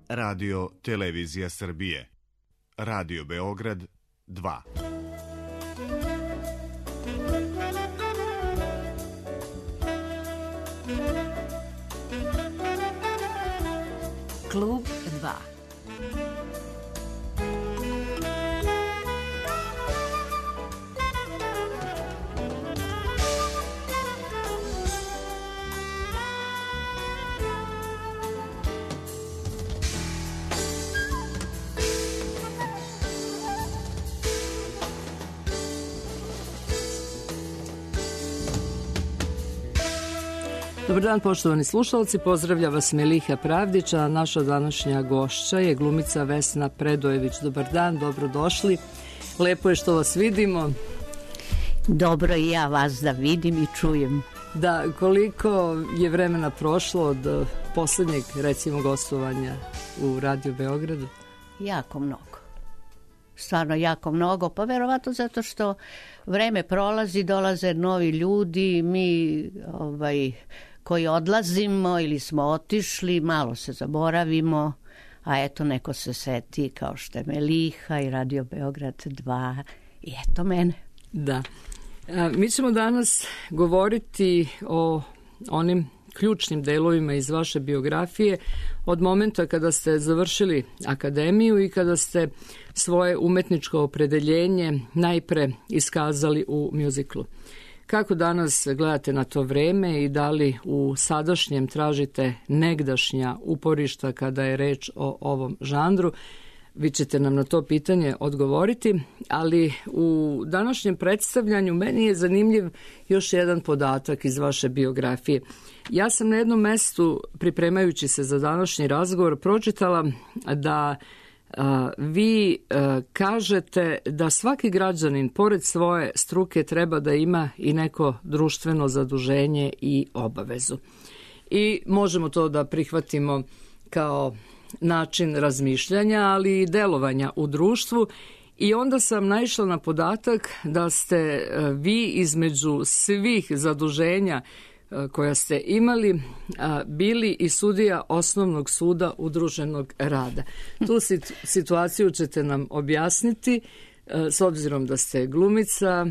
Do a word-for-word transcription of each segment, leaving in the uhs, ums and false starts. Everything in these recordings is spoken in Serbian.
Radio Televizija Srbije. Radio Beograd dva. Klub dva. Dobar dan, poštovani slušalci, pozdravlja vas Meliha Pravdić, a naša današnja gošća je glumica Vesna Predojević. Dobar dan, dobrodošli. Lepo je što vas vidimo. Dobro i ja vas da vidim i čujem. Da, koliko je vremena prošlo od poslednjeg, recimo, gostovanja u Radio Beogradu? Jako mnogo. Stvarno jako mnogo, pa verovatno zato što vreme prolazi, dolaze novi ljudi, mi ovaj, koji odlazimo ili smo otišli, malo se zaboravimo, a eto neko se seti kao što je Meliha i Radio Beograd dva i eto mene. Da. A, mi ćemo danas govoriti o onim ključnim delovima iz vaše biografije od momenta kada ste završili akademiju i kada ste svoje umetničko opredeljenje najpre iskazali u mjuziklu. Kako danas gledate na to vreme i da li u sadašnjem tražite negdašnja uporišta kada je reč o ovom žanru? Vi ćete nam na to pitanje odgovoriti, ali u današnjem predstavljanju meni je zanimljiv još jedan podatak iz vaše biografije. Ja sam na jednom mestu, pripremajući se za današnji razgovor, pročitala da a, vi a, kažete da svaki građanin, pored svoje struke, treba da ima i neko društveno zaduženje i obavezu. I možemo to da prihvatimo kao način razmišljanja, ali i delovanja u društvu. I onda sam naišla na podatak da ste vi između svih zaduženja koja ste imali bili i sudija Osnovnog suda udruženog rada. Tu situaciju ćete nam objasniti s obzirom da ste glumica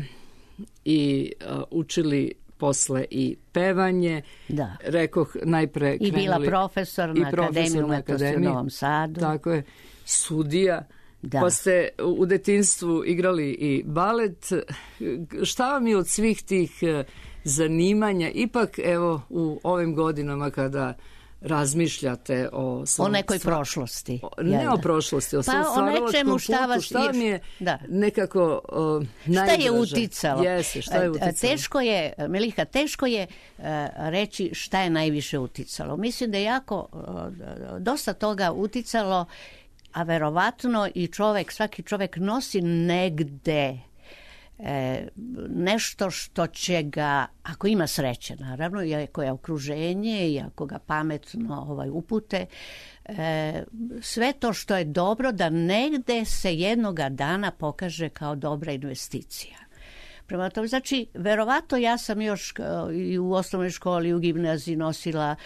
i učili posle i pevanje. Da. Rekoh najpre krenuli... I bila profesor na Akademiji umetnosti u Novom Sadu. Tako je. Sudija. Da. Pa ste u detinjstvu igrali i balet. Šta vam je od svih tih zanimanja, ipak evo u ovim godinama kada razmišljate o svom... O nekoj sva... prošlosti. O, ne ja, o prošlosti, o svom pa stvaralačkom putu. Šta, šta vam je da. nekako uh, najdraže? Šta je uticalo? Jeste, šta je uticalo? Teško je, Meliha, teško je uh, reći šta je najviše uticalo. Mislim da je jako uh, dosta toga uticalo, a verovatno i čovek, svaki čovek nosi negde E, nešto što će ga, ako ima sreće naravno, i ako je okruženje i ako ga pametno ovaj, upute, e, sve to što je dobro da negde se jednoga dana pokaže kao dobra investicija. Prema tome, znači, verovatno ja sam još i u osnovnoj školi, u gimnaziji nosila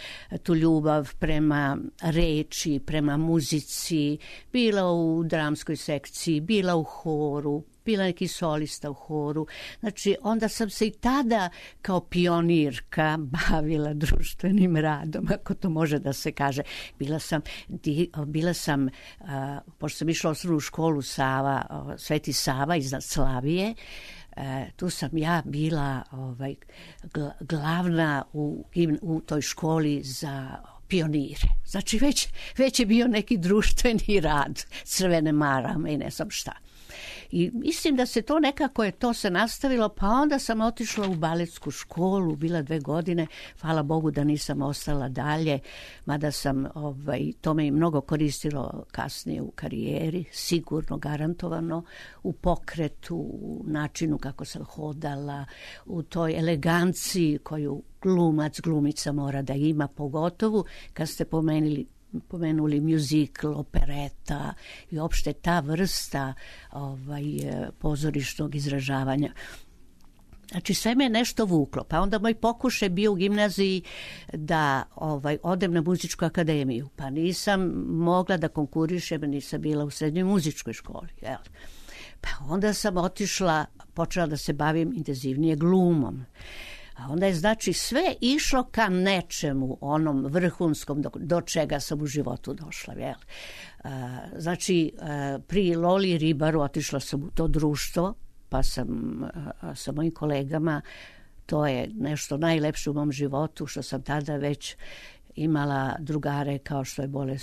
tu ljubav prema reči, prema muzici, bila u dramskoj sekciji, bila u horu, bila neki solista u horu. Znači, onda sam se i tada kao pionirka bavila društvenim radom, ako to može da se kaže. Bila sam, bila sam uh, pošto sam išla u osnovnu školu Sava, uh, Sveti Sava iznad Slavije, E, tu sam ja bila ovaj, glavna u, u toj školi za pionire. Znači već, već je bio neki društveni rad, crvene marame i ne znam šta. I mislim da se to nekako je to se nastavilo, pa onda sam otišla u baletsku školu, bila dve godine, hvala Bogu da nisam ostala dalje, mada sam, ovaj, to me i mnogo koristilo kasnije u karijeri, sigurno, garantovano, u pokretu, u načinu kako sam hodala, u toj eleganciji koju glumac, glumica mora da ima, pogotovo kad ste pomenuli pomenuli muzikl, opereta i opšte ta vrsta ovaj, pozorišnog izražavanja. Znači sve me je nešto vuklo. Pa onda moj pokušaj bio u gimnaziji da ovaj, odem na muzičku akademiju. Pa nisam mogla da konkurišem, nisam bila u srednjoj muzičkoj školi. Jel? Pa onda sam otišla, počela da se bavim intenzivnije glumom. A onda je znači sve išlo ka nečemu, onom vrhunskom do, do čega sam u životu došla. Jel? A, znači a, pri Loli Ribaru otišla sam u to društvo, pa sam a, sa mojim kolegama, to je nešto najlepše u mom životu, što sam tada već imala drugare kao što je Bole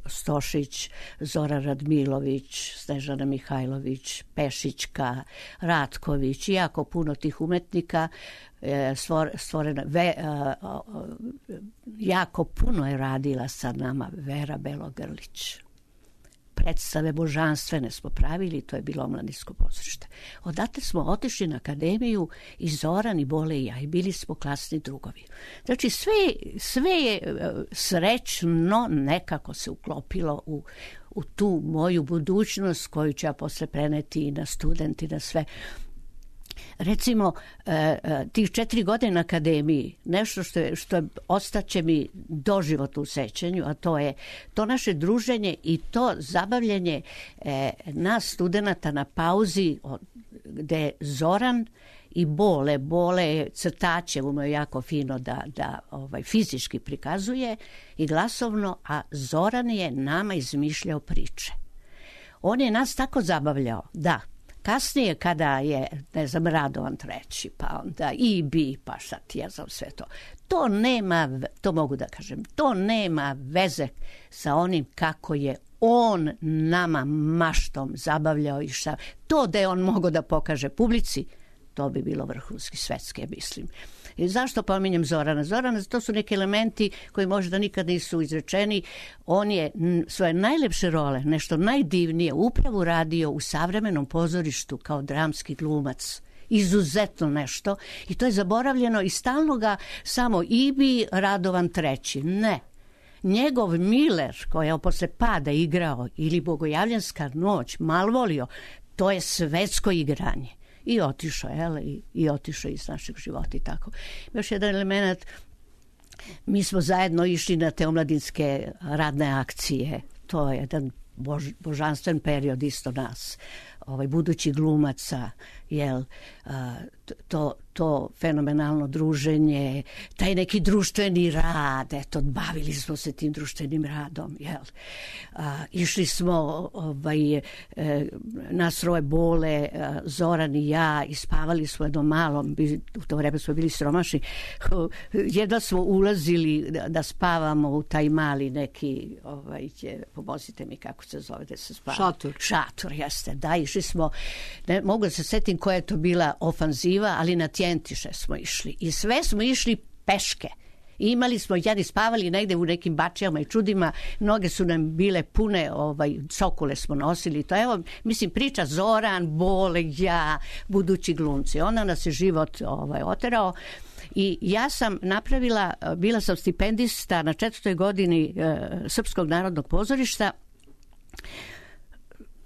Stošić, Zora Radmilović, Snežana Mihajlović, Pešićka, Ratković i jako puno tih umetnika. Stvorena, ve, jako puno je radila sa nama Vera Belogrlić. Predstave božanstvene smo pravili, to je bilo omladinsko pozorište. Odatle smo otišli na akademiju i Zoran i Bole i ja i bili smo klasni drugovi. Znači sve, sve je srećno nekako se uklopilo u, u tu moju budućnost koju ću ja posle preneti i na studenti, na sve. Recimo, tih četiri godine na akademiji, nešto što je, što je ostaće mi doživotno u sećanju, a to je to naše druženje i to zabavljanje nas studenata na pauzi, gde Zoran i Bole, Bole je crtače, ume je jako fino da, da ovaj, fizički prikazuje i glasovno, a Zoran je nama izmišljao priče. On je nas tako zabavljao da kasnije kada je, ne znam, Radovan treći, pa onda I B, pa šta ti ja znam sve to. To nema, to mogu da kažem, to nema veze sa onim kako je on nama maštom zabavljao i šta. To da je on mogao da pokaže publici, to bi bilo vrhunski svetske, mislim. I zašto pominjem Zorana? Zorana, to su neki elementi koji možda nikad nisu izrečeni. On je svoje najlepše role, nešto najdivnije, upravo radio u savremenom pozorištu kao dramski glumac. Izuzetno nešto. I to je zaboravljeno i stalno ga samo I B, Radovan treći. Ne. Njegov Miller, koji je posle pada igrao, ili Bogojavljanska noć, Malvolio, to je svetsko igranje. I otišao, jel, i, i otišao iz našeg života i tako. Još jedan element, mi smo zajedno išli na te omladinske radne akcije. To je jedan bož, božanstven period isto nas, ovaj, budući glumaca, jel, a, to, to fenomenalno druženje, taj neki društveni rad, eto, bavili smo se tim društvenim radom, jel. A, išli smo, ovaj, e, nas troje Bole, a, Zoran i ja, i spavali smo jednom malom, u to vreme smo bili siromašni, jedva smo ulazili da, da spavamo u taj mali neki, ovaj, pomozite mi kako se zove da se spava. Šator. Šator, jeste, da, išli smo, ne mogu da se setim koja je to bila ofanziva, ali na Tjentiše smo išli i sve smo išli peške. I imali smo, jadi spavali negde u nekim bačijama i čudima, noge su nam bile pune, ovaj, cokule smo nosili. To evo, mislim, priča Zoran, Bole, ja, budući glumci. Onda nas je život ovaj, oterao. I ja sam napravila, bila sam stipendista na četvrtoj godini e, Srpskog narodnog pozorišta.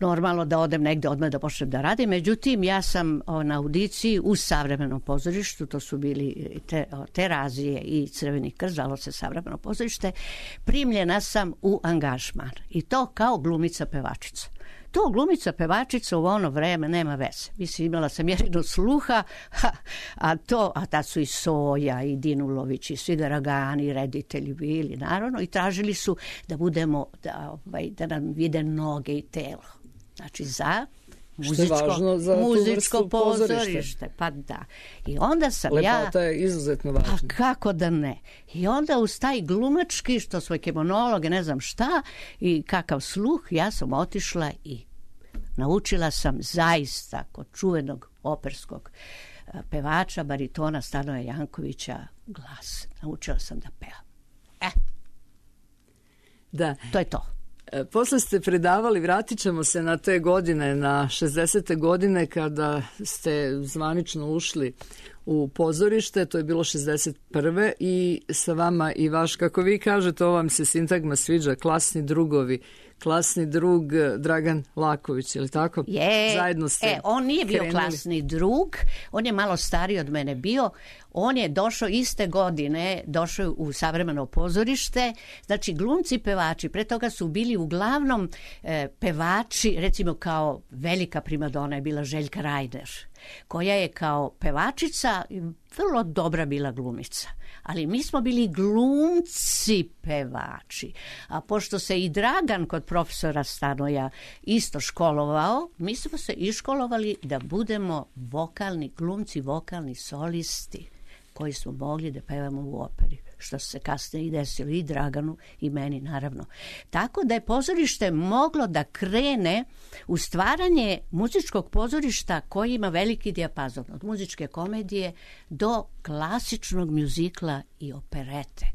Normalno da odem negde odmah da počnem da radim. Međutim, ja sam o, na audiciji u savremenom pozorištu, to su bili te, o, Terazije i Crveni krst, zvalo se savremeno pozorište, primljena sam u angažman. I to kao glumica pevačica. To glumica pevačica u ono vreme nema veze. Mislim, imala sam jedino sluha, ha, a to, a tad su i Soja i Dinulović i svi Garagani, reditelji bili, naravno, i tražili su da budemo, da, ovaj, da nam vide noge i telo. Znači za muzičko, za muzičko pozorište. Pa da. I onda sam Lepota ja... Lepota je izuzetno važna. Pa kako da ne. I onda uz taj glumački, što svoj kemonologe, ne znam šta, i kakav sluh, ja sam otišla i naučila sam zaista kod čuvenog operskog pevača, baritona Stanoja Jankovića, glas. Naučila sam da pevam. E. Da. To je to. Posle ste predavali, vratit ćemo se na te godine, na šezdesete godine kada ste zvanično ušli u pozorište, to je bilo šezdeset prve i sa vama i vaš, kako vi kažete, ovo vam se sintagma sviđa, klasni drugovi, klasni drug Dragan Laković, je li tako? Je, zajedno ste e, on nije bio krenuli. Klasni drug, on je malo stariji od mene bio, on je došao iste godine, došao u savremeno pozorište, znači glumci, pevači, pre toga su bili uglavnom e, pevači, recimo kao velika primadona je bila Željka Rajder, koja je kao pevačica vrlo dobra bila glumica. Ali mi smo bili glumci pevači. A pošto se i Dragan kod profesora Stanoja isto školovao, mi smo se iškolovali da budemo vokalni glumci, vokalni solisti koji smo mogli da pevamo u operi, što se kasnije i desilo i Draganu i meni naravno. Tako da je pozorište moglo da krene u stvaranje muzičkog pozorišta koji ima veliki dijapazon, od muzičke komedije do klasičnog mjuzikla i operete.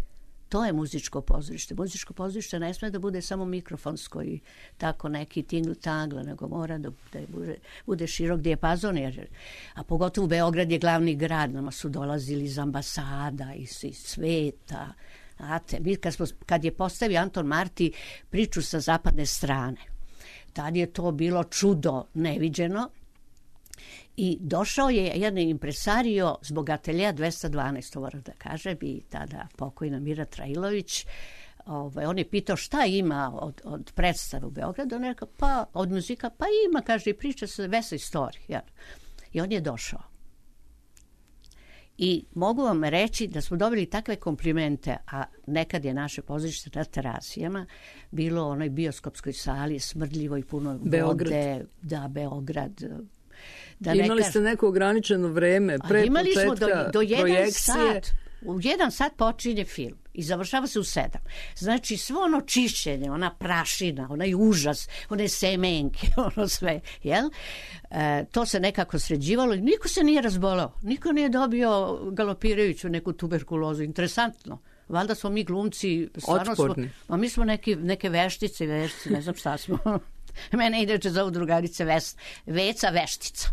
To je muzičko pozorište. Muzičko pozorište ne sme da bude samo mikrofonsko i tako neki tingl-tangl, nego mora da, da bude, bude širok dijapazon. Jer, a pogotovo Beograd je glavni grad, nama su dolazili iz ambasada, iz, iz sveta. Znate, mi kad, smo, kad je postavio Anton Marti priču sa zapadne strane, tad je to bilo čudo neviđeno. I došao je jedan impresario zbog ateljeja dvesta dvanaest, to moram da kažem, i tada pokojna Mira Trailović. Ovaj, on je pitao šta ima od, od predstave u Beogradu. On je rekao, pa od muzika, pa ima, kaže, i priča se West Side Story. Ja. I on je došao. I mogu vam reći da smo dobili takve komplimente, a nekad je naše pozorište na Terazijama bilo u onoj bioskopskoj sali, smrdljivo i puno Beograd. vode. Da, Beograd. Da imali ste neko ograničeno vreme pre imali početka smo do, do jedan projekcije. Sat. U jedan sat počinje film i završava se u sedam. Znači svo ono čišćenje, ona prašina, onaj užas, one semenke, ono sve, jel? E, to se nekako sređivalo i niko se nije razbolao. Niko nije dobio galopirajuću neku tuberkulozu. Interesantno. Valjda smo mi glumci stvarno otporni. Smo, a mi smo neki, neke veštice, veštice, ne znam šta smo. Mene inače zovu drugarice Ves, Veca Veštica.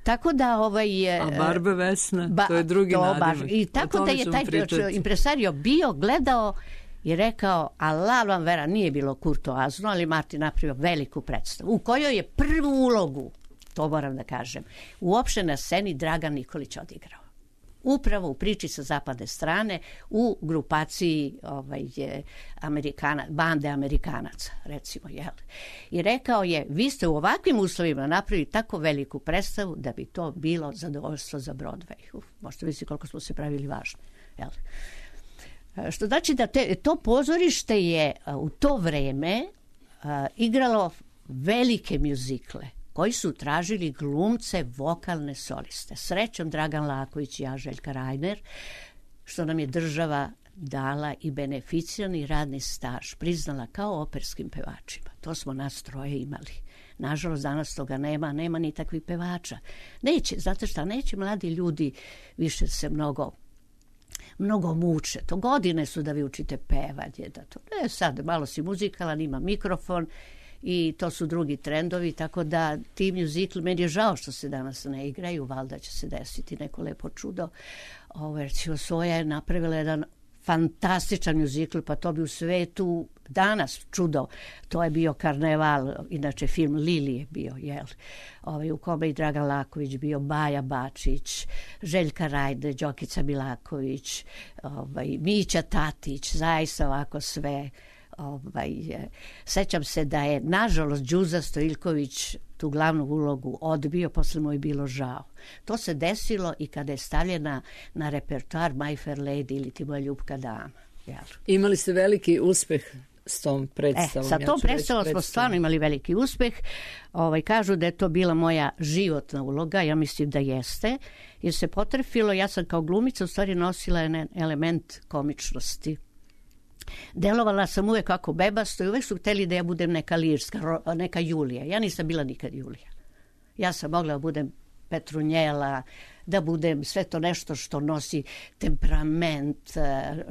Tako da ovaj a Barbe Vesna, ba, to je drugi nadimak. I tako da je taj pričati. Impresario bio, gledao i rekao, Allah vam vera, nije bilo kurtoazno, ali Martin napravio veliku predstavu, u kojoj je prvu ulogu, to moram da kažem, uopšte na sceni Dragan Nikolić odigrao. Upravo u priči sa zapadne strane u grupaciji ovaj, Amerikana, bande Amerikanaca, recimo. Jel? I rekao je, vi ste u ovakvim uslovima napravili tako veliku predstavu da bi to bilo zadovoljstvo za Broadway. Uf, možete misliti koliko smo se pravili važni. Jel? Što znači da te, to pozorište je u to vreme uh, igralo velike mjuzikle koji su tražili glumce, vokalne soliste. Srećom Dragan Laković i ja, Željka Rajner, što nam je država dala i beneficijalni radni staž, priznala kao operskim pevačima. To smo nas troje imali. Nažalost, danas toga nema, nema ni takvih pevača. Neće, znate šta, neće mladi ljudi više se mnogo mnogo muče. To godine su da vi učite pevanje. Da to, ne, sad malo si muzikalan, ima mikrofon, i to su drugi trendovi, tako da ti mjuzikli, meni je žao što se danas ne igraju, valjda će se desiti neko lepo čudo. Ovo, recimo, Soja je napravila jedan fantastičan mjuzikl, pa to bi u svetu danas čudo. To je bio Karneval, inače film Lili je bio, jel? Ovaj, u kome i Dragan Laković bio, Baja Bačić, Željka Rajde, Đokica Milaković, ovaj, Mića Tatić, zaista ovako sve. Ovaj, sećam se da je nažalost Đuza Stojiljković tu glavnu ulogu odbio, posle mu je bilo žao. To se desilo i kada je stavljena na repertoar My Fair Lady ili Ti moja ljubka dama. Jel? Imali ste veliki uspeh s tom predstavom. E, sa tom ja predstavom smo stvarno imali veliki uspeh. Ovaj, kažu da je to bila moja životna uloga, ja mislim da jeste, jer se potrefilo, ja sam kao glumica u stvari nosila jedan element komičnosti. Delovala sam uvek kako bebasto i uvek su hteli da ja budem neka lirska, neka Julija. Ja nisam bila nikad Julija. Ja sam mogla da budem Petrunjela, da budem sve to nešto što nosi temperament,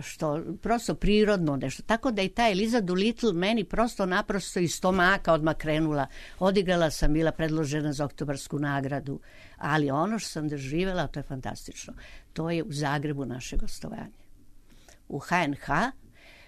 što prosto prirodno nešto. Tako da i ta Eliza Doolittle meni prosto naprosto iz stomaka odmah krenula. Odigrala sam, bila predložena za Oktobarsku nagradu, ali ono što sam doživjela, to je fantastično. To je u Zagrebu naše gostovanje. U ha en ha,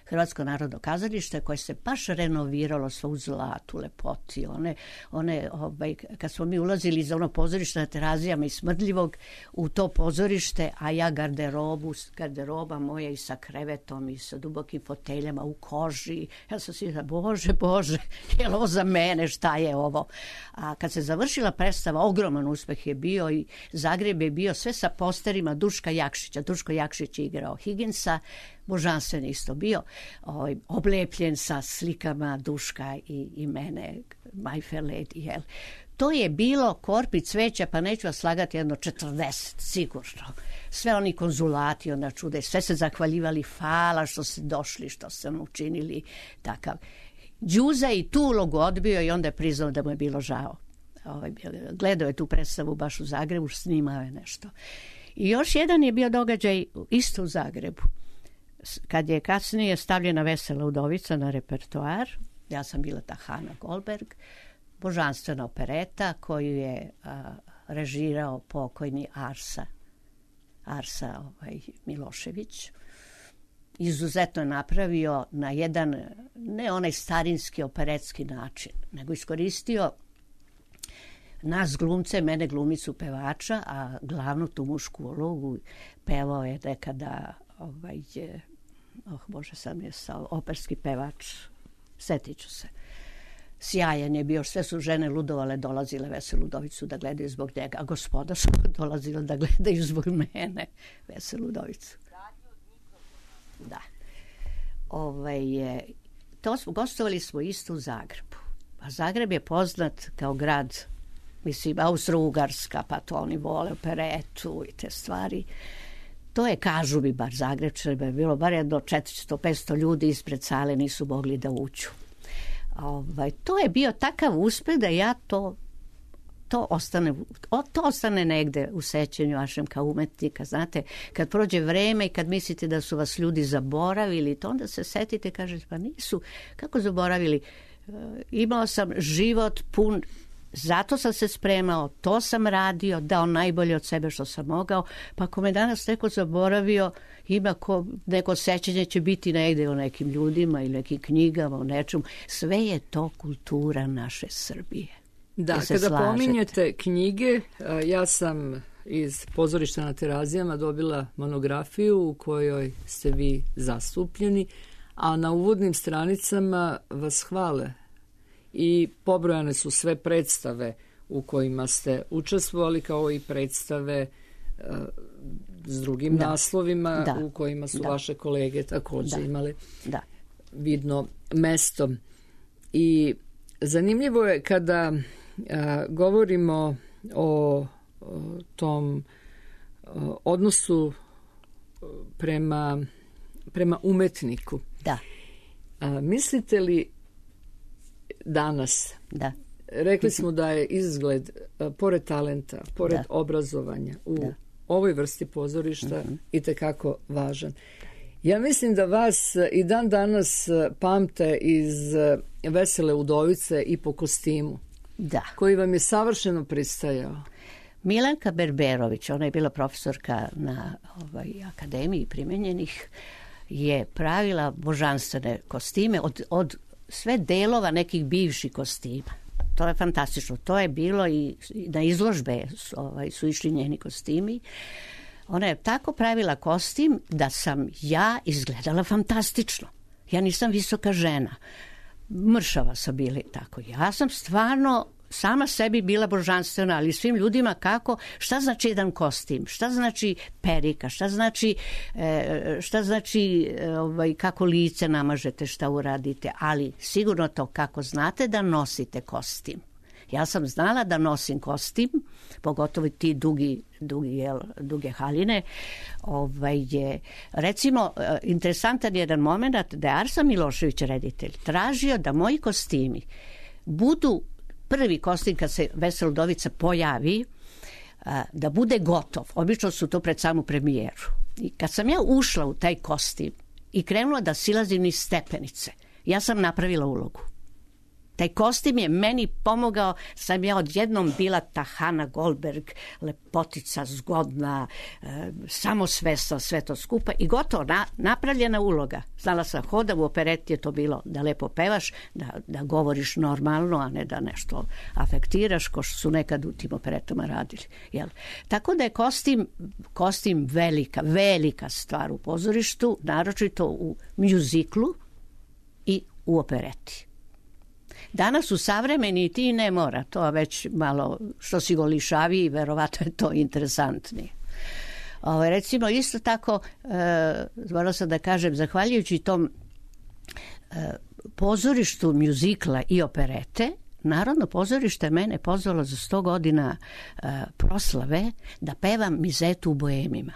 Hrvatsko narodno kazalište, koje se baš renoviralo sve u zlatu, lepoti. One, one, ovaj, kad smo mi ulazili za ono pozorište na Terazijama i Smrdljivog u to pozorište, a ja garderobu, garderoba moja i sa krevetom i sa dubokim foteljama u koži. Ja sam si da, bože, bože, je li ovo za mene, šta je ovo? A kad se završila predstava, ogroman uspeh je bio i Zagreb je bio sve sa posterima Duška Jakšića. Duško Jakšić je igrao Higginsa, božanstven isto bio, ovaj, oblepljen sa slikama Duška i, i mene, My Fair Lady, jel? To je bilo korpi cveća, pa neću vas slagati, jedno četrdeset, sigurno. Sve oni konzulati, ona čude, sve se zahvaljivali, hvala što ste došli, što ste nam učinili, takav. Đuza i tu ulogu odbio i onda je priznao da mu je bilo žao. Ovaj, gledao je tu predstavu baš u Zagrebu, snimao je nešto. I još jedan je bio događaj isto u Zagrebu. Kad je kasnije stavljena Vesela udovica na repertoar, ja sam bila ta Hana Goldberg, božanstvena opereta koju je a, režirao pokojni Arsa, Arsa ovaj, Milošević. Izuzetno je napravio na jedan, ne onaj starinski operetski način, nego iskoristio nas glumce, mene glumicu pevača, a glavnu tu mušku ulogu pevao je nekada ovaj, oh Bože, sam je sa operski pevač, setit ću se. Sjajan je bio, sve su žene ludovale, dolazile Veselu udovicu da gledaju zbog njega, a gospoda su dolazile da gledaju zbog mene Veselu udovicu. Da. Ovaj, to smo, gostovali smo isto u Zagrebu. A Zagreb je poznat kao grad, mislim, Austro-Ugarska, pa to oni vole operetu i te stvari. To je, kažu mi bar Zagrebčani, je bilo bar jedno četiristo do petsto ljudi ispred sale nisu mogli da uđu. Ovaj, to je bio takav uspeh da ja to, to, ostane, to ostane negde u sećanju vašem kao umetnika. Znate, kad prođe vreme i kad mislite da su vas ljudi zaboravili, to onda se setite, kažete, pa nisu. Kako zaboravili? E, imao sam život pun. Zato sam se spremao, to sam radio, dao najbolje od sebe što sam mogao, pa ako me danas neko zaboravio, ima ko, neko sećanje će biti negde o nekim ljudima ili nekim knjigama, o nečemu. Sve je to kultura naše Srbije. Da, kada slažete. Pominjete knjige, ja sam iz Pozorišta na Terazijama dobila monografiju u kojoj ste vi zastupljeni, a na uvodnim stranicama vas hvale i pobrojane su sve predstave u kojima ste učestvovali, kao i predstave uh, s drugim da. naslovima da. u kojima su da. vaše kolege također da. imali da. vidno mesto. I zanimljivo je kada uh, govorimo o, o tom o odnosu prema, prema umetniku. Da. Uh, mislite li danas, da. rekli smo da je izgled, pored talenta, pored da. obrazovanja u da. ovoj vrsti pozorišta mm-hmm. itekako važan. Ja mislim da vas i dan danas pamte iz Vesele udovice i po kostimu, da. koji vam je savršeno pristajao. Milanka Berberović, ona je bila profesorka na ovaj, Akademiji primenjenih, je pravila božanstvene kostime od, od sve delova nekih bivših kostima. To je fantastično. To je bilo i na izložbe ovaj, su išli njeni kostimi. Ona je tako pravila kostim da sam ja izgledala fantastično. Ja nisam visoka žena. Mršava sam bili tako. Ja sam stvarno sama sebi bila božanstvena, ali svim ljudima kako, šta znači jedan kostim, šta znači perika, šta znači, šta znači ovaj, kako lice namažete, šta uradite, ali sigurno to kako znate da nosite kostim. Ja sam znala da nosim kostim, pogotovo ti dugi, dugi jel, duge haljine. Ovaj je, recimo, interesantan jedan moment da je Arsa Milošević, reditelj, tražio da moji kostimi budu prvi kostim kad se Vesela udovica pojavi, da bude gotov. Obično su to pred samu premijeru. I kad sam ja ušla u taj kostim i krenula da silazim niz stepenice, ja sam napravila ulogu. Taj kostim je meni pomogao, sam ja odjednom bila ta Hana Goldberg, lepotica, zgodna, e, samosvesna, sve to skupa i gotovo, na, napravljena uloga. Znala sam hoda, u opereti je to bilo da lepo pevaš, da, da govoriš normalno, a ne da nešto afektiraš, ko što su nekad u tim operetama radili. Jel? Tako da je kostim, kostim velika, velika stvar u pozorištu, naročito u mjuziklu i u opereti. Danas u savremeni ti ne mora, to već malo što si go lišaviji, verovatno je to interesantnije. Ovo, recimo isto tako, e, morala sam da kažem, zahvaljujući tom e, pozorištu mjuzikla i operete, Narodno pozorište mene pozvalo za sto godina e, proslave da pevam Mizetu u Boemima.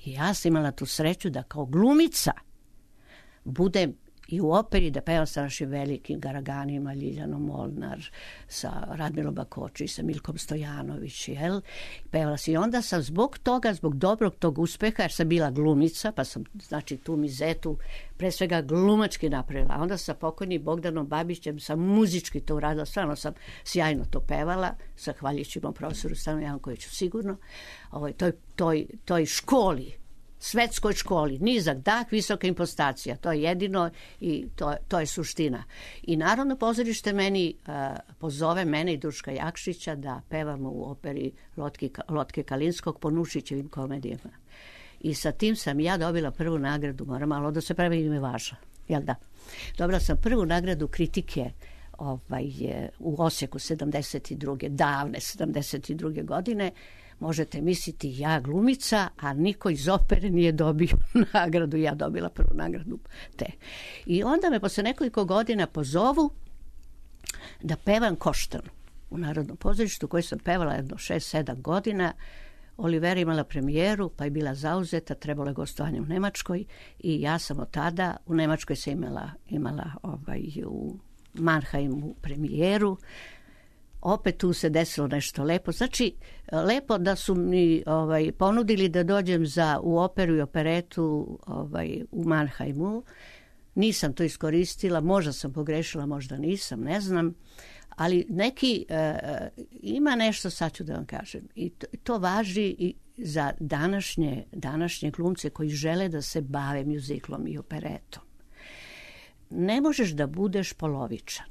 I ja sam imala tu sreću da kao glumica budem i u operi, da pevam sa našim velikim Garaganima, Ljiljanom Molnar, sa Radmilom Bakoči, sa Milkom Stojanović, jel? Pevala sam i onda sam zbog toga, zbog dobrog tog uspeha, jer sam bila glumica, pa sam, znači, tu Mizetu pre svega glumački napravila. A onda sa pokojnim Bogdanom Babićem sam muzički to uradila, stvarno sam sjajno to pevala, zahvaljujući mom profesoru Stanu Jankoviću sigurno, ovoj, toj, toj, toj školi, svetskoj školi, nizak dah, visoka impostacija, to je jedino i to, to je suština. I Narodno pozorište meni uh, pozove mene i Duška Jakšića da pevamo u operi Lotke, Lotke Kalinskog po Nušićevim komedijama. I sa tim sam ja dobila prvu nagradu, moram malo da se pravi ime važa, jel da? Dobila sam prvu nagradu kritike ovaj, u Osijeku sedamdeset druge davne sedamdeset druge godine. Možete misliti, ja glumica, a niko iz opere nije dobio nagradu, ja dobila prvu nagradu te. I onda me posle nekoliko godina pozovu da pevam Koštanu u Narodnom pozorištu, koju sam pevala jedno šest sedam godina. Olivera imala premijeru, pa je bila zauzeta, trebalo je gostovanje u Nemačkoj i ja sam od tada, u Nemačkoj sam imala, imala ovaj, u Mannheimu premijeru. Opet tu se desilo nešto lepo. Znači, lepo da su mi ovaj, ponudili da dođem za, u operu i operetu ovaj, u Mannheimu. Nisam to iskoristila, možda sam pogrešila, možda nisam, ne znam. Ali neki, e, ima nešto, sad ću da vam kažem. I to, to važi i za današnje, današnje glumce koji žele da se bave mjuziklom i operetom. Ne možeš da budeš polovičan.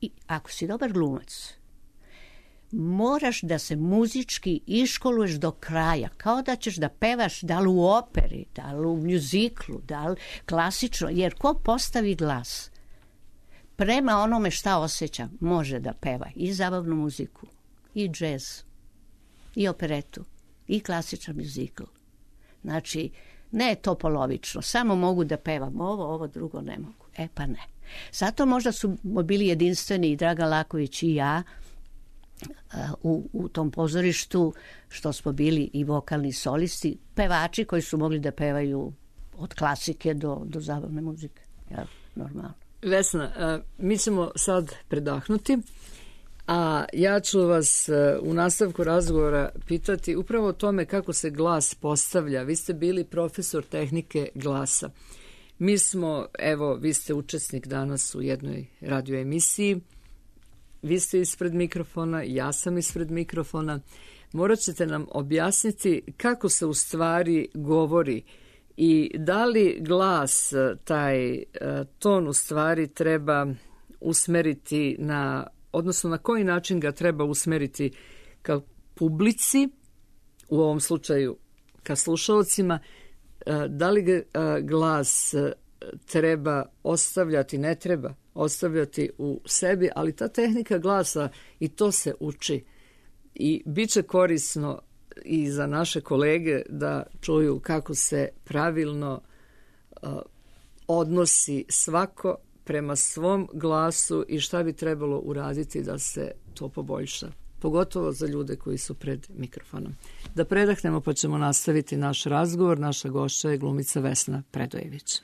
I ako si dobar glumac, moraš da se muzički iškoluješ do kraja, kao da ćeš da pevaš da li u operi, da li u mjuziklu, da li klasično, jer ko postavi glas prema onome šta osjeća, može da peva i zabavnu muziku, i džez, i operetu, i klasičan mjuzikl. Znači, ne je to polovično, samo mogu da pevam ovo, ovo drugo ne mogu. E pa ne. Zato možda su bili jedinstveni i Dragan Laković i ja u, u tom pozorištu, što smo bili i vokalni solisti, pevači koji su mogli da pevaju od klasike do, do zabavne muzike. Ja, normalno. Vesna, mi ćemo sad predahnuti, a ja ću vas u nastavku razgovora pitati upravo o tome kako se glas postavlja. Vi ste bili profesor tehnike glasa. Mi smo, evo, vi ste učesnik danas u jednoj radio emisiji, vi ste ispred mikrofona, ja sam ispred mikrofona. Morat ćete nam objasniti kako se u stvari govori i da li glas, taj ton u stvari treba usmeriti na, odnosno na koji način ga treba usmeriti ka publici, u ovom slučaju ka slušalcima, da li ga glas treba ostavljati, ne treba ostavljati u sebi, ali ta tehnika glasa i to se uči i bit će korisno i za naše kolege da čuju kako se pravilno uh, odnosi svako prema svom glasu i šta bi trebalo uraditi da se to poboljša. Pogotovo za ljude koji su pred mikrofonom. Da predahnemo pa ćemo nastaviti naš razgovor. Naša gošća je glumica Vesna Predojević.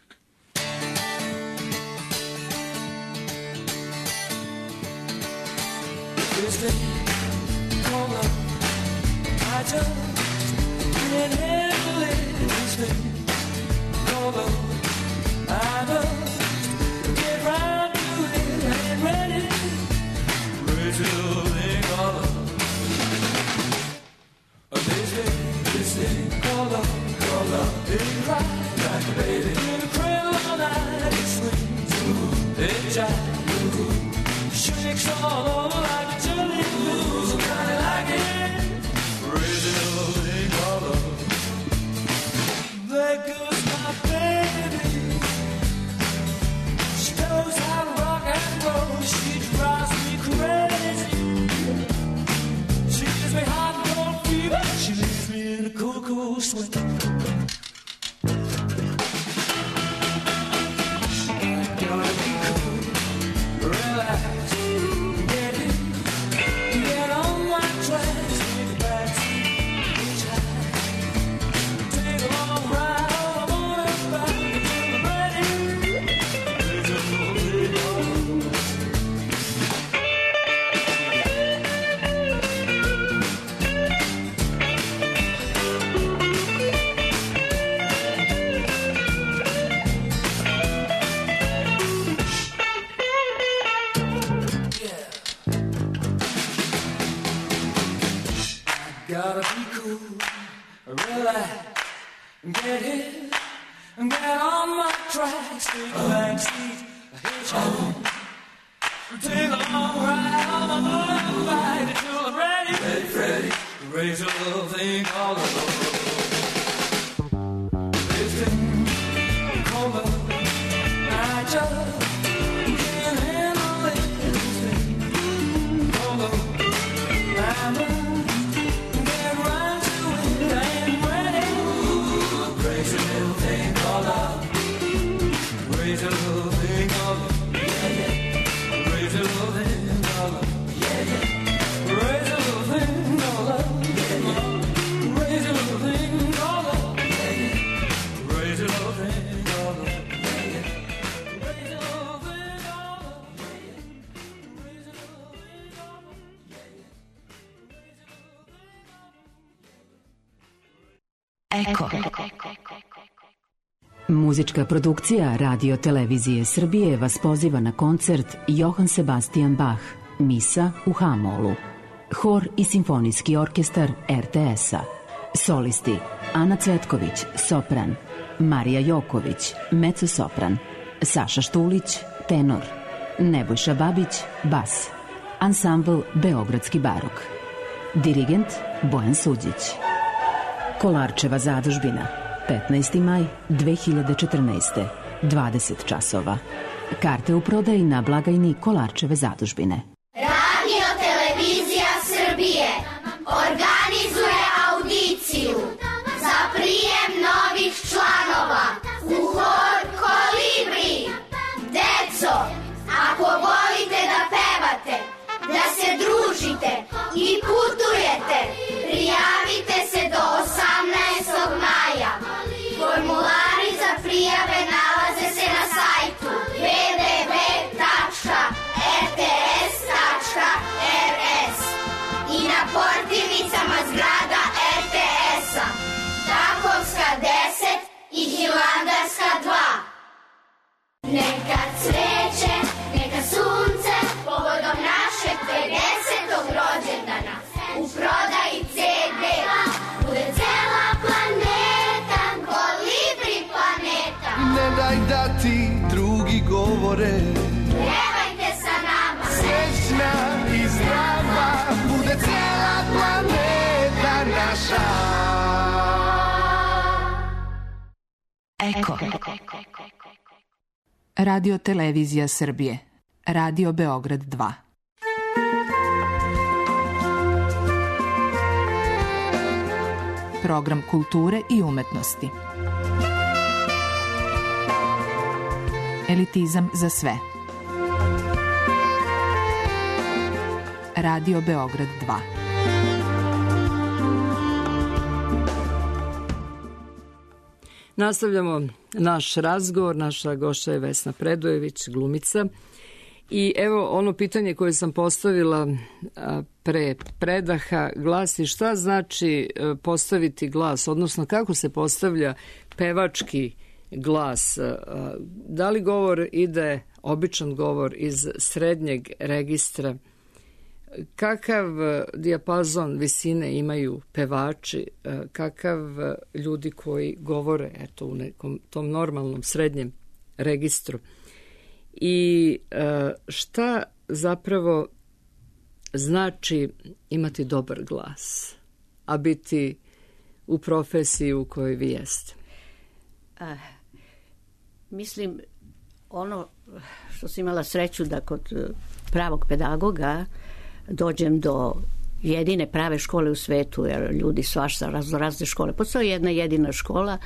Eko. Muzička produkcija Radio Televizije Srbije vas poziva na koncert Johann Sebastian Bach, Misa u H-molu. Hor i simfonijski orkestar er te es-a. Solisti Ana Cvetković, sopran, Marija Joković, mezzo-sopran, Saša Štulić, tenor, Nebojša Babić, bas. Ansambl Beogradski barok. Dirigent Bojan Suđić. Kolarčeva zadužbina, petnaesti maj dve hiljade četrnaeste, dvadeset časova. Karte u prodaji na blagajni Kolarčeve zadužbine. Radio Televizija Srbije organizuje audiciju za prijem novih članova u hor Kolibri. Deco, ako volite da pevate, da se družite i putujete, prijavite se do osamnaestog maja. Formulari za prijave nalaze se na sajtu w w w tačka r t s tačka r s i na portirnicama zgrada er te es-a, Takovska deset i Hilandarska dva. Neka cveće, neka sunce, povodom našeg pedesetog rođendana, u prodaji ce de, bude cela planeta, Kolibri planeta. Ne daj da ti drugi govore, Pevajte sa nama, srećna i zdrava, bude cela planeta naša. Eko. Radio Televizija Srbije. Radio Beograd dva. Program kulture i umetnosti. Elitizam za sve. Radio Beograd dva. Nastavljamo naš razgovor. Naša gošća je Vesna Predojević, glumica. I evo ono pitanje koje sam postavila pre predaha glasi šta znači postaviti glas, odnosno kako se postavlja pevački glas. Da li govor ide, običan govor, iz srednjeg registra? Kakav dijapazon visine imaju pevači, kakav ljudi koji govore eto, u nekom tom normalnom srednjem registru? I šta zapravo znači imati dobar glas, a biti u profesiji u kojoj vi jeste? Uh, mislim, ono što sam imala sreću da kod pravog pedagoga dođem do jedine prave škole u svetu, jer ljudi svašta razno razne škole. Postoji jedna jedina škola,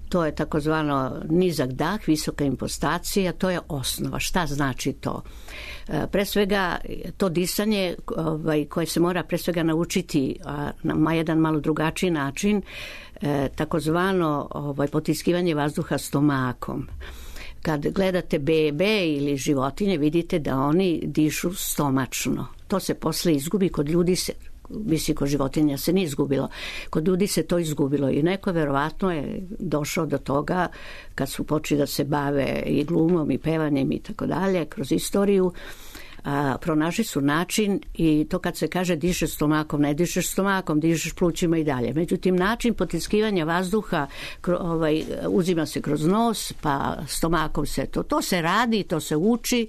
to je takozvano nizak dah, visoka impostacija, to je osnova. Šta znači to? Pre svega, to disanje ovaj, koje se mora pre svega naučiti a, na jedan malo drugačiji način, e, takozvano ovaj, potiskivanje vazduha stomakom. Kad gledate bebe ili životinje, vidite da oni dišu stomačno. To se posle izgubi, kod ljudi se, mislim, kod životinja se nije izgubilo. Kod ljudi se to izgubilo i neko verovatno je došao do toga kad su počeli da se bave i glumom i pevanjem i tako dalje kroz istoriju. A, pronašli su način i to kad se kaže dišeš stomakom, ne dišeš stomakom, dišeš plućima i dalje. Međutim, način potiskivanja vazduha kro, ovaj, uzima se kroz nos, pa stomakom se to. To se radi, to se uči.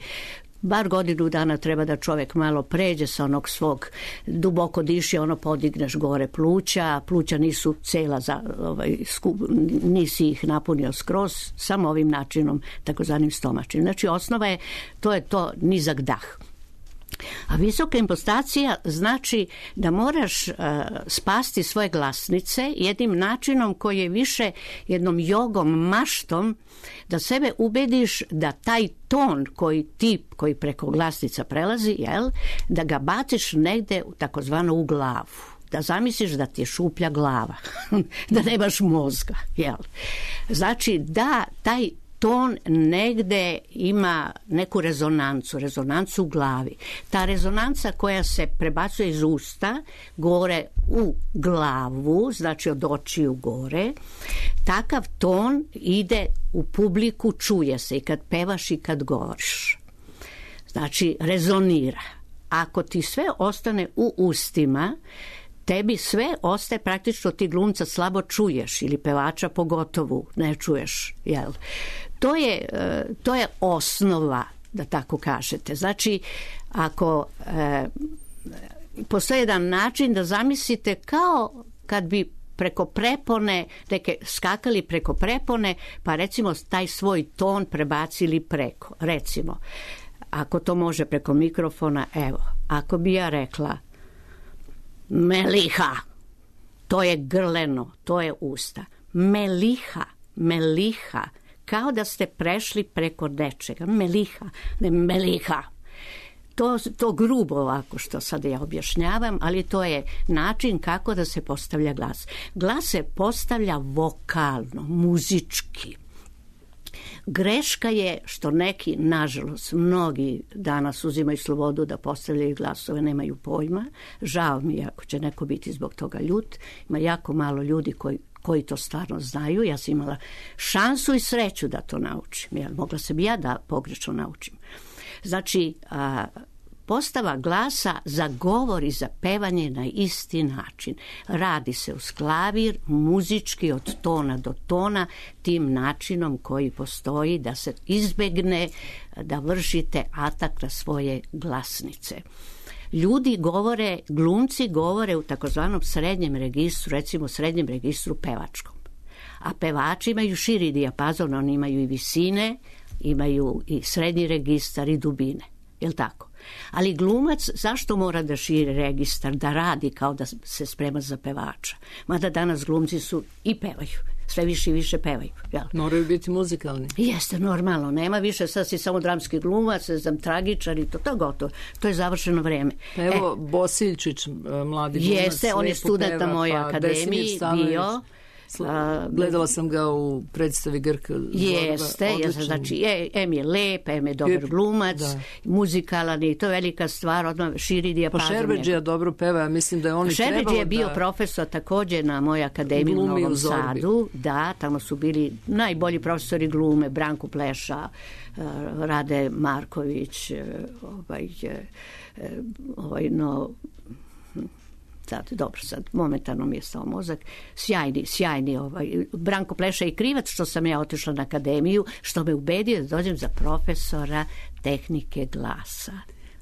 Bar godinu dana treba da čovjek malo pređe sa onog svog duboko diši, ono podigneš gore pluća, pluća nisu cela, za, ovaj, skup, nisi ih napunio skroz, samo ovim načinom, takozvanim stomačnim. Znači osnova je, to je to nizak dah. A visoka impostacija znači da moraš uh, spasti svoje glasnice jednim načinom koji je više jednom jogom, maštom, da sebe ubediš da taj ton koji ti, koji preko glasnica prelazi, jel, da ga baciš negde takozvano u glavu. Da zamisliš da ti je šuplja glava, da nemaš mozga, jel. Znači da taj ton negde ima neku rezonancu, rezonancu u glavi. Ta rezonanca koja se prebacuje iz usta gore u glavu, znači od očiju gore, takav ton ide u publiku, čuje se i kad pevaš i kad govoriš. Znači rezonira. Ako ti sve ostane u ustima, tebi sve ostaje, praktično ti glumca slabo čuješ ili pevača pogotovo ne čuješ, jel? To je, to je osnova, da tako kažete. Znači, ako e, postoji jedan način da zamislite kao kad bi preko prepone, neke skakali preko prepone, pa recimo taj svoj ton prebacili preko. Recimo, ako to može preko mikrofona, evo, ako bi ja rekla meliha, to je grleno, to je usta. Meliha, meliha, kao da ste prešli preko nečega. Meliha, ne meliha. To, to grubo ovako što sad ja objašnjavam, ali to je način kako da se postavlja glas. Glas se postavlja vokalno, muzički. Greška je što neki, nažalost, mnogi danas uzimaju slobodu da postavljaju glasove, nemaju pojma. Žao mi je ako će neko biti zbog toga ljut. Ima jako malo ljudi koji, koji to stvarno znaju. Ja sam imala šansu i sreću da to naučim. Ja, mogla sam ja da pogrešno naučim. Znači, a, postava glasa za govor i za pevanje na isti način. Radi se uz klavir, muzički od tona do tona, tim načinom koji postoji da se izbegne da vršite atak na svoje glasnice. Ljudi govore, glumci govore u takozvanom srednjem registru, recimo srednjem registru pevačkom. A pevači imaju širi dijapazon, oni imaju i visine, imaju i srednji registar i dubine. Jel tako? Ali glumac zašto mora da širi registar, da radi kao da se sprema za pevača? Mada danas glumci su i pevaju, sve više i više pevaju. Jel? Moraju biti muzikalni. Jeste, normalno. Nema više, sad si samo dramski glumac, znam, tragičar i to, to je gotovo. To je završeno vreme. Evo, e, Bosiljčić, mladi glumac. Jeste, on je student na mojoj akademiji bio. Gledala sam ga u predstavi Grka Zorba. Jeste, jeste, znači, je, em je lep, em je dobar glumac, da. Muzikalan i to je velika stvar, odmah širi dijapazon. Pa Šerbedžija dobro peva, ja mislim da je on i trebalo da... Šerbedžija je bio profesor također na mojoj akademiji u Novom Sadu. Da, tamo su bili najbolji profesori glume, Branko Pleša, Rade Marković, ovaj, ovaj, no... Sad, dobro, sad, momentalno mi je stao mozak. Sjajni, sjajni, ovaj, Branko Pleša i krivac što sam ja otišla na akademiju, što me ubedio da dođem za profesora tehnike glasa.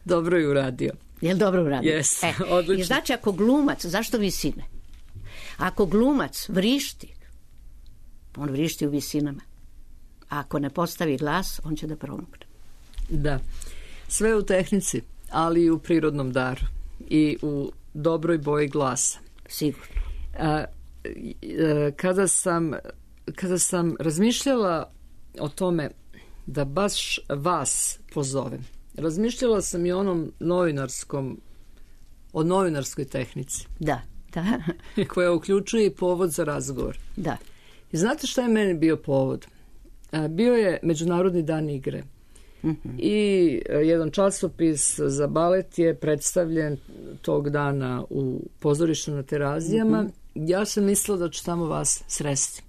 Dobro je uradio. Jel dobro uradio? Yes, e, odlično. I znači, ako glumac, zašto visine? Ako glumac vrišti, on vrišti u visinama. A ako ne postavi glas, on će da promukne. Da. Sve u tehnici, ali i u prirodnom daru. I u dobroj boji glasa. Sigurno. A, kada sam kada sam razmišljala o tome da baš vas pozovem, razmišljala sam i o onom novinarskom, o novinarskoj tehnici. Da, da. Koja uključuje i povod za razgovor. Da. I znate šta je meni bio povod? A, bio je Međunarodni dan igre. Mm-hmm. I jedan časopis za balet je predstavljen tog dana u pozorištu na Terazijama. Mm-hmm. Ja sam mislila da ću tamo vas sresti.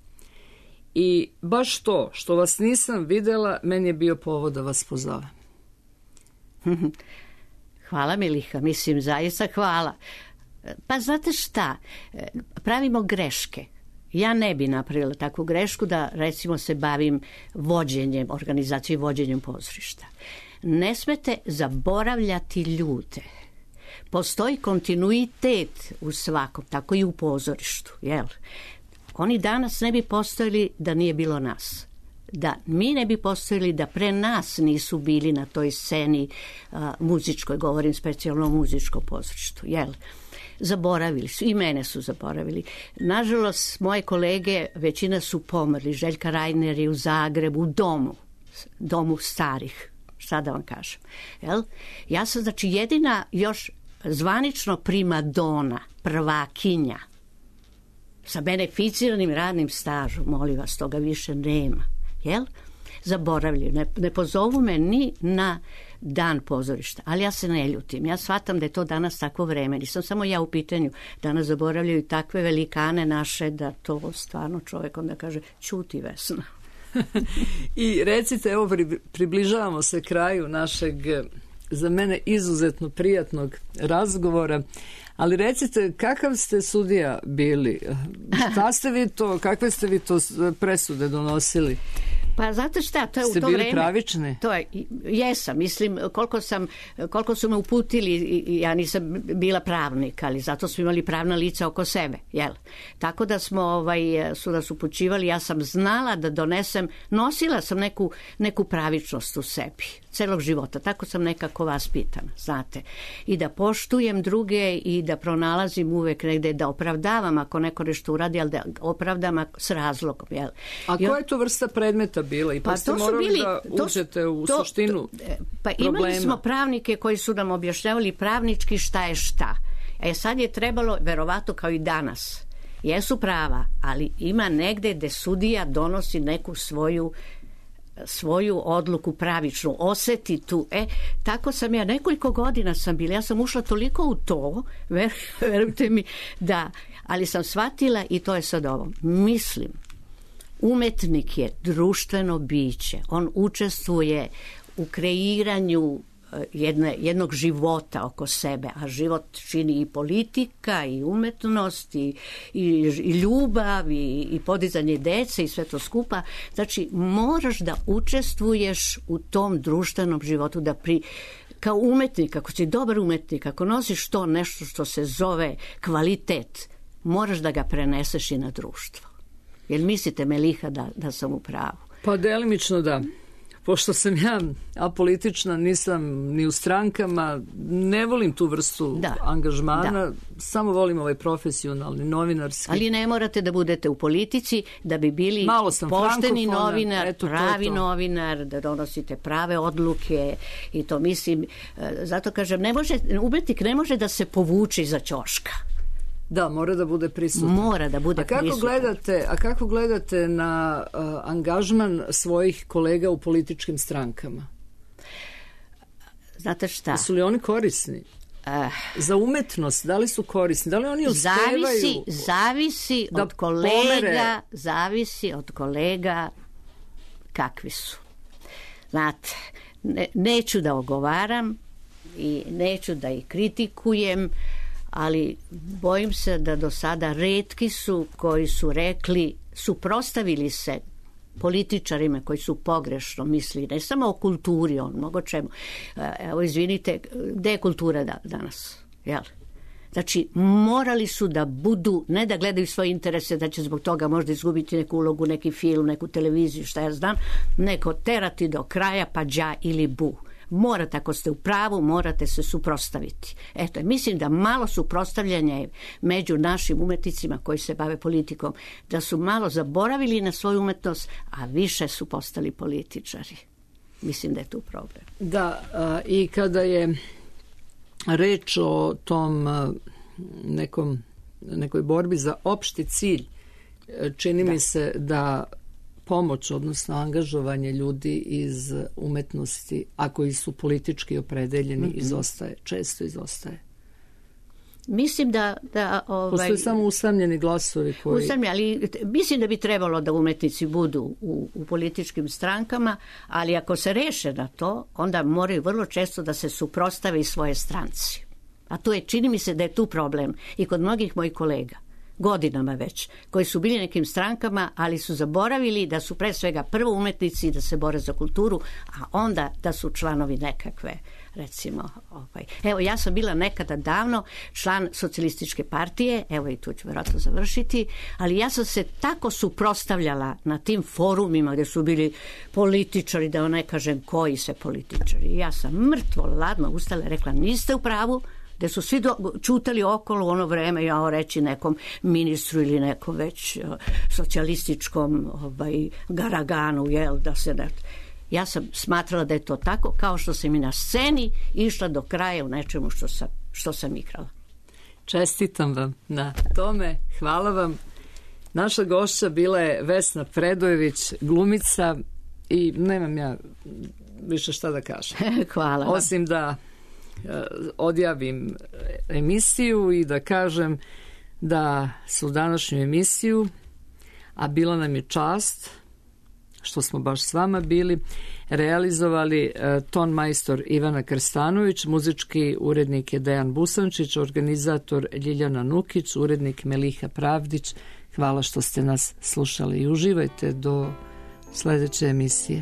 I baš to što vas nisam videla, meni je bio povod da vas pozovem. Hvala, Miliha, mislim zaista hvala. Pa znate šta, pravimo greške. Ja ne bi napravila takvu grešku da, recimo, se bavim vođenjem, organizacijom i vođenjem pozorišta. Ne smete zaboravljati ljude. Postoji kontinuitet u svakom, tako i u pozorištu, jel? Oni danas ne bi postojali da nije bilo nas. Da mi ne bi postojali da pre nas nisu bili na toj sceni a, muzičkoj, govorim specijalno o muzičkom pozorištu, jel? Zaboravili su, i mene su zaboravili. Nažalost, moje kolege, većina su pomrli. Željka Rajner je u Zagrebu, u domu, domu starih, šta da vam kažem. Jel? Ja sam, znači, jedina još zvanično primadona, prvakinja, sa beneficiranim radnim stažom, molim vas, toga više nema. Jel? Zaboravljaju. Ne, ne pozovu me ni na dan pozorišta, ali ja se ne ljutim. Ja shvatam da je to danas takvo vreme. Nisam samo ja u pitanju. Danas zaboravljaju takve velikane naše da to stvarno čovjek onda kaže ćuti, Vesna. I recite, evo približavamo se kraju našeg, za mene izuzetno prijatnog razgovora, ali recite, kakav ste sudija bili? Šta ste vi to, kakve ste vi to presude donosili? Pa znate šta, to je Ste u to bili vreme. pravični? To je, jesam, mislim, koliko sam, koliko su me uputili, ja nisam bila pravnik, ali zato smo imali pravna lica oko sebe, jel? Tako da smo, ovaj, su nas upućivali, ja sam znala da donesem, nosila sam neku, neku pravičnost u sebi, celog života, tako sam nekako vaspitana, znate. I da poštujem druge i da pronalazim uvek negde, da opravdavam ako neko nešto uradi, ali da opravdam s razlogom, jel? A koja je to vrsta predmeta bila? I pa, pa ste morali bili, da uđete to, u to, suštinu to, Pa problema. Imali smo pravnike koji su nam objašnjavali pravnički šta je šta. E sad je trebalo, verovatno kao i danas, jesu prava, ali ima negde gde sudija donosi neku svoju svoju odluku pravičnu, oseti tu. E, tako sam ja, nekoliko godina sam bila, ja sam ušla toliko u to, ver, verujte mi, da, ali sam shvatila i to je sad ovo. Mislim, umetnik je društveno biće. On učestvuje u kreiranju jedne, jednog života oko sebe, a život čini i politika, i umetnost, i, i, i ljubav, i, i podizanje dece i sve to skupa. Znači, moraš da učestvuješ u tom društvenom životu, da pri, kao umetnik, ako si dobar umetnik, ako nosiš to nešto što se zove kvalitet, moraš da ga preneseš i na društvo. Jel mislite, Meliha, da, da sam u pravu? Pa delimično da. Pošto sam ja apolitična, nisam ni u strankama, ne volim tu vrstu da, angažmana, da. Samo volim ovaj profesionalni, novinarski. Ali ne morate da budete u politici da bi bili pošteni novinar, eto, pravi to to. novinar, da donosite prave odluke i to mislim, zato kažem, ne može, umetnik ne može da se povuče iza ćoška. Da, mora da bude prisutan. Mora da bude a kako prisutan. Gledate, a kako gledate na uh, angažman svojih kolega u političkim strankama? Znate šta? Su li oni korisni? Uh, Za umetnost, da li su korisni? Da li oni uspevaju? Zavisi, zavisi da od kolega, pomere... zavisi od kolega kakvi su. Znate, ne, neću da ogovaram i neću da ih kritikujem, ali bojim se da do sada retki su koji su rekli, suprostavili se političarima koji su pogrešno mislili, ne samo o kulturi, on mnogo čemu. Evo, izvinite, gde je kultura da, danas? Jel? Znači, morali su da budu, ne da gledaju svoje interese, da će zbog toga možda izgubiti neku ulogu, neki film, neku televiziju, šta ja znam, neko terati do kraja, pa đa ili bu. Morate, ako ste u pravu, morate se suprotstaviti. Eto, mislim da malo suprotstavljanja među našim umetnicima koji se bave politikom, da su malo zaboravili na svoju umetnost, a više su postali političari. Mislim da je tu problem. Da, a, i kada je reč o tom a, nekom, nekoj borbi za opšti cilj, čini da. mi se da pomoć, odnosno angažovanje ljudi iz umetnosti, a koji su politički opredeljeni, mm-hmm. izostaje, često izostaje. Mislim da... da ovaj, postoje samo usamljeni glasovi koji... Usamljeni, ali mislim da bi trebalo da umetnici budu u, u političkim strankama, ali ako se reše na to, onda moraju vrlo često da se suprotstave i svoje stranci. A to je, čini mi se da je tu problem i kod mnogih mojih kolega, godinama već, koji su bili nekim strankama, ali su zaboravili da su pre svega prvo umetnici da se bore za kulturu, a onda da su članovi nekakve, recimo, ovaj. Evo, ja sam bila nekada davno član socijalističke partije, evo i tu ću vjerojatno završiti, ali ja sam se tako suprotstavljala na tim forumima gdje su bili političari, da ne kažem koji se političari. Ja sam mrtvo ladno ustala i rekla, niste u pravu, gde su svi do, čutali okolo u ono vreme, ja reći nekom ministru ili nekom već uh, socijalističkom ovaj, garaganu, jel, da se ne... Ja sam smatrala da je to tako, kao što sam i na sceni išla do kraja u nečemu što sam, što sam igrala. Čestitam vam na tome, hvala vam. Naša gošća bila je Vesna Predojević, glumica, i nemam ja više šta da kažem. Hvala vam. Osim da odjavim emisiju i da kažem da su današnju emisiju, a bila nam je čast što smo baš s vama bili, realizovali ton majstor Ivana Krstanović, muzički urednik je Dejan Busančić, organizator Ljiljana Nukić, urednik Meliha Pravdić. Hvala što ste nas slušali i uživajte do sledeće emisije.